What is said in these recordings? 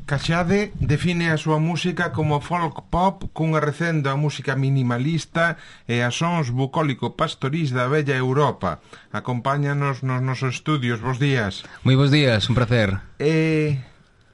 Caxade define a súa música como folk pop cunha recendo a música minimalista e a sons bucólico-pastorís da bella Europa. Acompáñanos nos nosos estudios. Bos días. Moi bos días, un placer.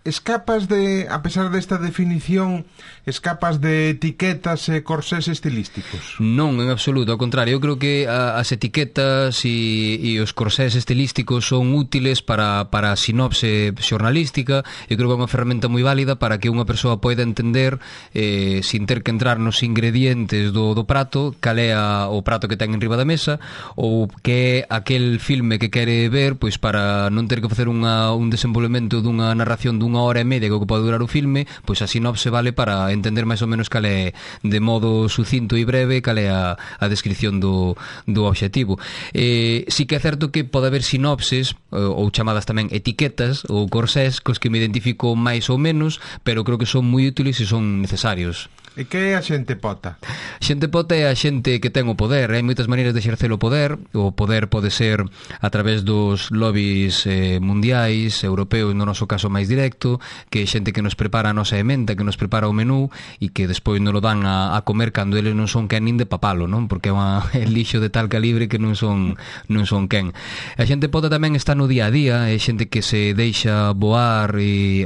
Escapas de, a pesar desta definición, escapas de etiquetas e corsés estilísticos? Non, en absoluto, ao contrario. Eu creo que as etiquetas e os corsés estilísticos son útiles para a sinopse xornalística. Eu creo que é unha ferramenta moi válida para que unha persoa poida entender, sin ter que entrar nos ingredientes do prato, cal é o prato que ten enriba da mesa, ou que é aquel filme que quere ver, pois para non ter que facer un desenvolvemento dunha narración dunha hora e media que pode durar o filme, pois a sinopse vale para entender máis ou menos cal é, de modo sucinto e breve, cal é a descripción do obxectivo. Si que é certo que pode haber sinopses ou chamadas tamén etiquetas ou corsés cos que me identifico máis ou menos, pero creo que son moi útiles e son necesarios. E que é a xente pota? Xente pota é a xente que ten o poder. Hai moitas maneiras de exercer o poder. O poder pode ser a través dos lobbies mundiais, europeos, no noso caso máis directo, que é xente que nos prepara a nosa emenda, que nos prepara o menú e que despois nos lo dan a comer cando eles non son quen nin de papalo, non? Porque é lixo de tal calibre que non son quen. A xente pota tamén está no día a día, é xente que se deixa voar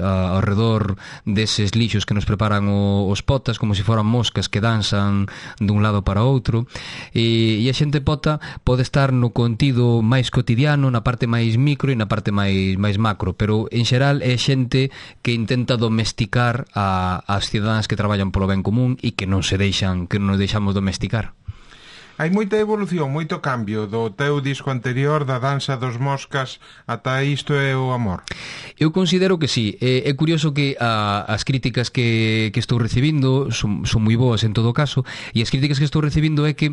ao redor deses lixos que nos preparan os potas, como se foran moscas que danzan dun lado para outro, e a xente pota pode estar no contido máis cotidiano, na parte máis micro e na parte máis macro, pero en xeral é xente que intenta domesticar as cidadáns que traballan polo ben común e que non nos deixamos domesticar. Hai moita evolución, moito cambio do teu disco anterior, da Danza dos Moscas, ata Isto é o Amor. Eu considero que sí. É curioso que as críticas que estou recibindo son moi boas en todo caso, e as críticas que estou recibindo é que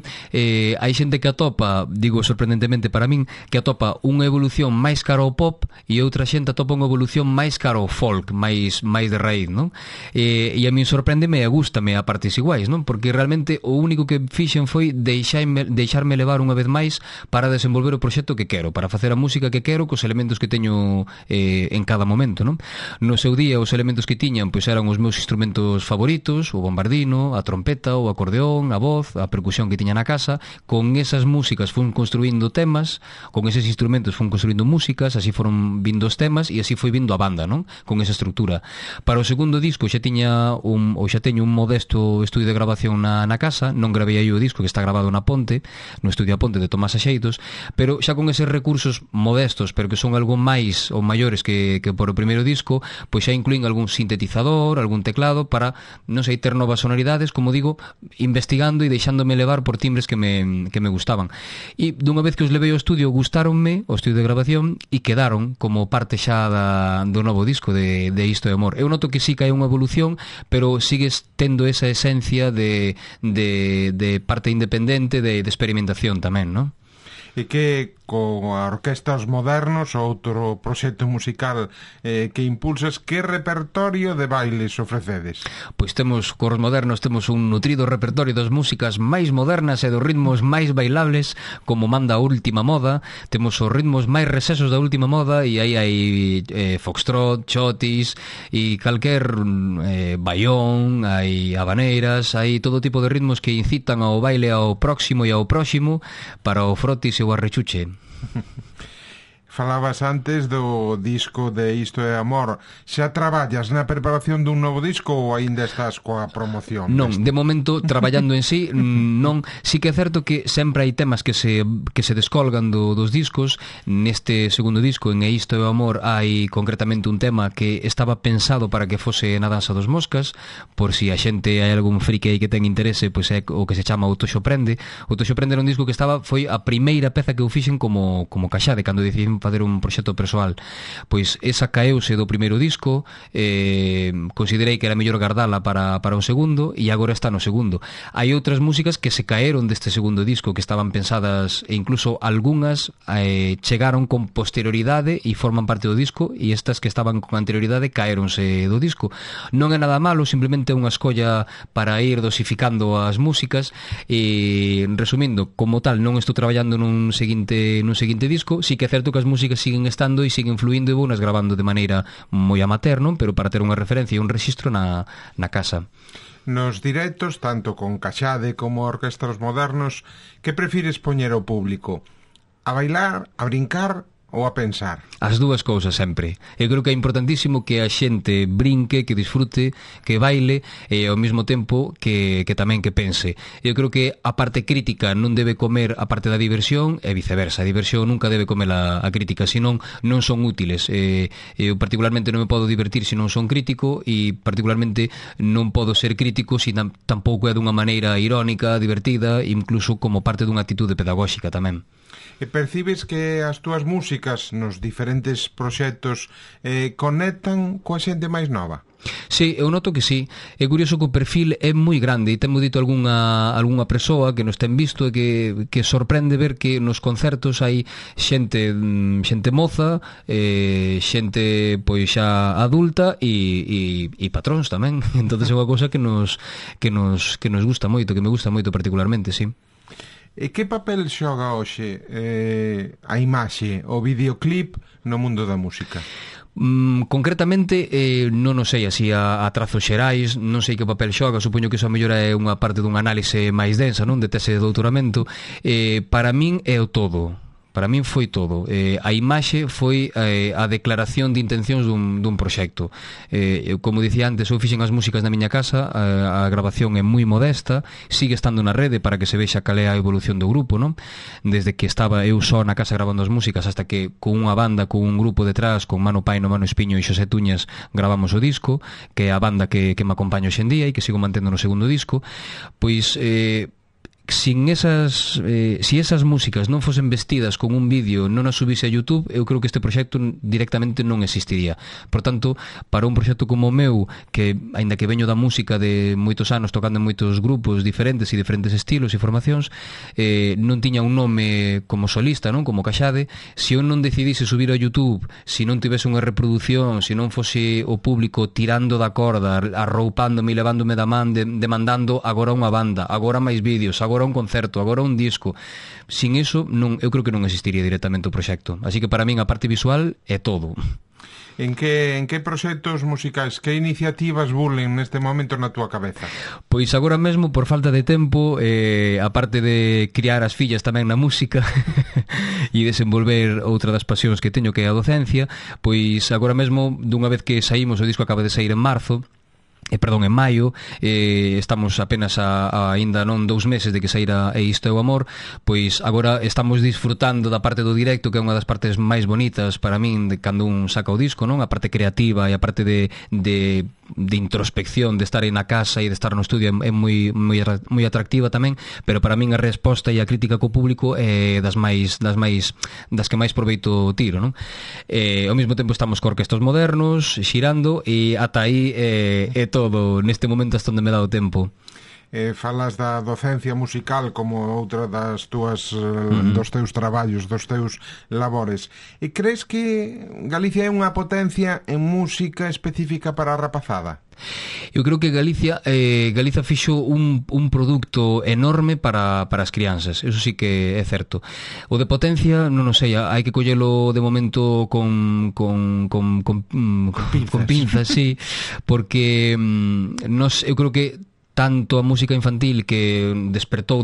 hai xente que atopa, digo sorprendentemente para min, que atopa unha evolución máis cara ao pop e outra xente atopa unha evolución máis cara ao folk, máis de raíz, non? E a min sorpréndeme e gústame a partes iguais, non? Porque realmente o único que fixen foi deixarme levar unha vez máis para desenvolver o proxecto que quero, para facer a música que quero cos elementos que teño en cada momento, non? No seu día os elementos que tiñan pois eran os meus instrumentos favoritos, o bombardino, a trompeta, o acordeón, a voz, a percusión que tiña na casa. Con esas músicas fun construindo temas, con eses instrumentos fun construindo músicas, así foron vindo os temas e así foi vindo a banda, non? Con esa estrutura. Para o segundo disco xa teño un modesto estudio de grabación na casa. Non gravei aí o disco, que está grabado na Ponte, no estudio a Ponte de Tomás Axeitos, pero xa con eses recursos modestos, pero que son algo máis ou maiores que por o primeiro disco, pois xa incluín algún sintetizador, algún teclado para, non sei, ter novas sonoridades, como digo, investigando e deixándome levar por timbres que me gustaban. E dunha vez que os levei ao estudio, gustáronme o estudio de grabación e quedaron como parte xa do novo disco de Isto é Amor. Eu noto que sí que hai unha evolución, pero sigues tendo esa esencia de parte independente, de experimentación tamén, non? E que con a Orquesta Os Modernos, outro proxecto musical que impulsas, que repertorio de bailes ofrecedes? Pois temos, cos Modernos, temos un nutrido repertorio das músicas máis modernas e dos ritmos máis bailables, como manda a última moda. Temos os ritmos máis recesos da última moda, e aí hai foxtrot, chotis e calquer baión, hai habaneiras, hai todo tipo de ritmos que incitan ao baile ao próximo e ao próximo, para o frotis e o arrechuche. Falabas antes do disco de Isto é Amor. Xa traballas na preparación dun novo disco ou aínda estás coa promoción? Non, de momento traballando en sí, non. Sí que é certo que sempre hai temas que se descolgan dos discos. Neste segundo disco, en Isto é o Amor, hai concretamente un tema que estaba pensado para que fose na Danza dos Moscas, por si a xente hai algún friki aí que ten interese, pois é o que se chama O Toxo Prende. O Toxo Prende era un disco que foi a primeira peza que eu fixen como Caxade, cando decidín facer un proxecto persoal. Pois esa caeuse do primeiro disco, considerei que era mellor gardala para o segundo, e agora está no segundo. Hai outras músicas que se caeron deste segundo disco, que estaban pensadas, e incluso algunhas chegaron con posterioridade e forman parte do disco, e estas que estaban con anterioridade caeronse do disco. Non é nada malo, simplemente é unha escolla para ir dosificando as músicas. E resumindo, como tal, non estou traballando nun seguinte disco. Sí que é certo que as músicas siguen estando e siguen fluindo e vounas grabando de maneira moi amateur, non? Pero para ter unha referencia e un rexistro na casa. Nos directos, tanto con Caxade como orquestras modernos, que prefires poñer ao público? A bailar, a brincar ou a pensar? As dúas cousas sempre. Eu creo que é importantísimo que a xente brinque, que disfrute, que baile e ao mesmo tempo que tamén que pense. Eu creo que a parte crítica non debe comer a parte da diversión e viceversa. A diversión nunca debe comer a crítica, senón non son útiles. Eu particularmente non me podo divertir se non son crítico e particularmente non podo ser crítico se tampouco é dunha maneira irónica, divertida, incluso como parte dunha actitude pedagóxica tamén. E percibes que as túas músicas nos diferentes proxectos conectan coa xente máis nova? Sí, eu noto que sí. É curioso que o perfil é moi grande e temos dito algunha persoa que nos ten visto e que sorprende ver que nos concertos hai xente moza, xente pois xa adulta e patróns tamén. Entonces é unha cosa que nos gusta moito, que me gusta moito particularmente, sí. E que papel xoga hoxe a imaxe, o videoclip no mundo da música? Concretamente non o sei así a trazos xerais, non sei que papel xoga, supoño que iso a mellor é unha parte dun análise máis densa, non, de tese de doutoramento. Para min é o todo. Para min foi todo. A imaxe foi a declaración de intencións dun proxecto. Como dicía antes, eu fixen as músicas na miña casa, a grabación é moi modesta, sigue estando na rede para que se vexa cal é a evolución do grupo, non? Desde que estaba eu só na casa grabando as músicas hasta que con unha banda, con un grupo detrás, con Mano Paino, Mano Espiño e Xosé Tuñas gravamos o disco, que é a banda que me acompaña hoxendía e que sigo mantendo no segundo disco. Pois sin si esas músicas non fosen vestidas con un vídeo, non as subise a YouTube, eu creo que este proxecto directamente non existiría. Por tanto, para un proxecto como o meu, que aínda que veño da música de moitos anos tocando en moitos grupos diferentes e diferentes estilos e formacións, non tiña un nome como solista, non, como Caxade. Se eu non decidise subir ao YouTube, se non tivese unha reproducción, se non fose o público tirando da corda, arroupándome e levándome da man, demandando agora unha banda, agora máis vídeos, agora un concerto, agora un disco. Sin iso, eu creo que non existiría directamente o proxecto. Así que para min a parte visual é todo. En que proxectos musicais, que iniciativas burlen neste momento na túa cabeza? Pois agora mesmo, por falta de tempo, a parte de criar as fillas tamén na música e desenvolver outra das pasións que teño, que é a docencia, pois agora mesmo, dunha vez que saímos, o disco acaba de sair en marzo, en maio, estamos apenas aínda non 2 meses de que saíra E Isto é o Amor, pois agora estamos disfrutando da parte do directo, que é unha das partes máis bonitas para min de cando un saca o disco, non? A parte creativa e a parte de introspección, de estar aí na casa e de estar no estudio é moi atractiva tamén, pero para min a resposta e a crítica co público é das que máis proveito tiro, non? Ao mesmo tempo estamos co orquestas modernos, xirando, e ata aí é todo neste momento hasta onde me dá o tempo. Falas da docencia musical como outra das túas dos teus traballos, dos teus labores. E crees que Galicia é unha potencia en música específica para a rapazada? Eu creo que Galicia fixo un produto enorme para as crianzas. Eso sí que é certo. O de potencia, non o sei, hai que collelo de momento con pinzas, sí, porque eu creo que tanto a música infantil que despertou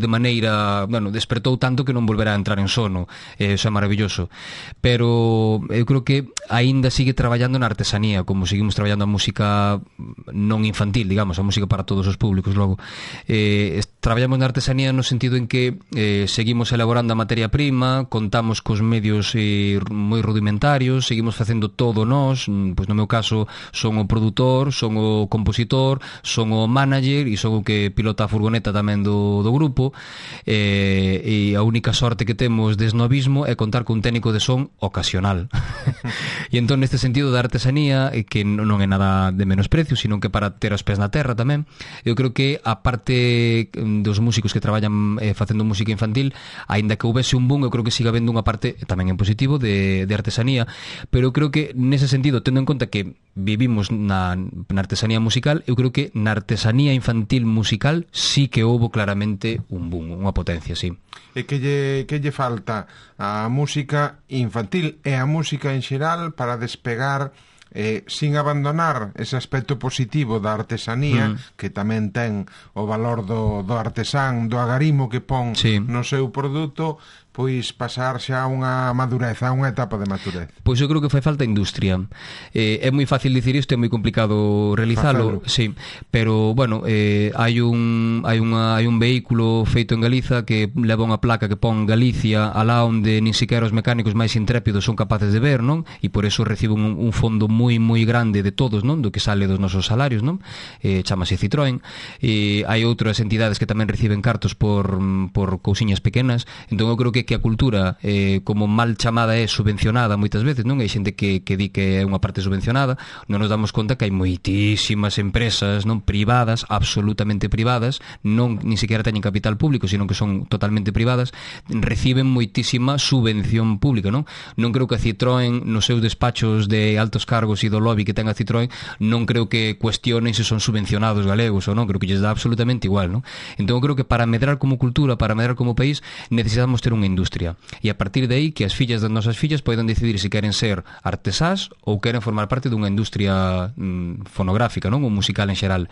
tanto que non volverá a entrar en sono, eso é maravilloso, pero eu creo que aínda sigue traballando na artesanía, como seguimos traballando a música non infantil, digamos, a música para todos os públicos. Logo traballamos na artesanía no sentido en que seguimos elaborando a materia prima, contamos cos medios moi rudimentarios, seguimos facendo todo nós, pois no meu caso son o produtor, son o compositor, son o manager e son o que pilota a furgoneta tamén do grupo, e a única sorte que temos de esnovismo é contar cun técnico de son ocasional. E entón neste sentido da artesanía, que non é nada de menosprecio, sino que para ter os pés na terra tamén, eu creo que a parte dos músicos que traballan facendo música infantil, aínda que houvese un boom, eu creo que siga habendo unha parte tamén en positivo de artesanía, pero eu creo que nese sentido, tendo en conta que vivimos na artesanía musical, eu creo que na artesanía infantil infantil musical sí que houbo claramente un boom, unha potencia, sí. E que lle falta a música infantil e a música en xeral para despegar sin abandonar ese aspecto positivo da artesanía, que tamén ten o valor do artesán, do agarimo que pon no seu produto, pois pasar xa a unha madurez, a unha etapa de madurez. Pois eu creo que fai falta industria. É moi fácil dicir isto, é moi complicado realizalo, sí, pero bueno, hai un vehículo feito en Galiza que leva unha placa que pon Galicia alá onde nin siquiera os mecánicos máis intrépidos son capaces de ver, non? E por eso recibe un fondo moi grande de todos, non? Do que sale dos nosos salarios, non? Chámase Citroën. E hai outras entidades que tamén reciben cartos por cousiñas pequenas. Entón eu creo que a cultura, como mal chamada, é subvencionada moitas veces, non? Hai xente que di que é unha parte subvencionada. Non nos damos conta que hai moitísimas empresas, non, privadas, absolutamente privadas, non ni siquiera teñen capital público, sino que son totalmente privadas, reciben moitísima subvención pública, non? Non creo que a Citroën nos seus despachos de altos cargos e do lobby que ten a Citroën, non creo que cuestionen se son subvencionados galegos ou non, creo que lles dá absolutamente igual, non? Entón creo que para medrar como cultura, para medrar como país, necesitamos ter unha industria, e a partir de aí que as fillas das nosas fillas poidan decidir se queren ser artesás ou queren formar parte dunha industria fonográfica, non, ou musical en xeral.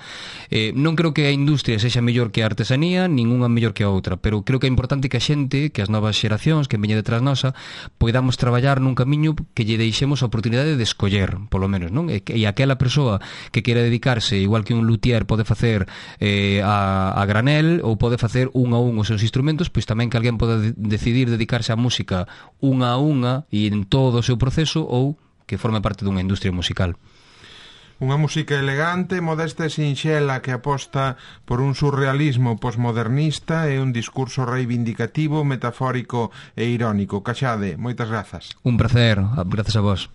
Non creo que a industria sexa mellor que a artesanía, ninguna mellor que a outra, pero creo que é importante que a xente, que as novas xeracións que veñen detrás nosa, poidamos traballar nun camiño que lle deixemos a oportunidade de escoller, polo menos, non? E aquela persoa que quere dedicarse, igual que un luthier pode facer a granel ou pode facer un a un os seus instrumentos, pois tamén que alguén pode decidir dedicarse á música unha a unha e en todo o seu proceso, ou que forme parte dunha industria musical. Unha música elegante, modesta e sinxela que aposta por un surrealismo posmodernista e un discurso reivindicativo, metafórico e irónico. Caxade, moitas grazas. Un placer, grazas a vos.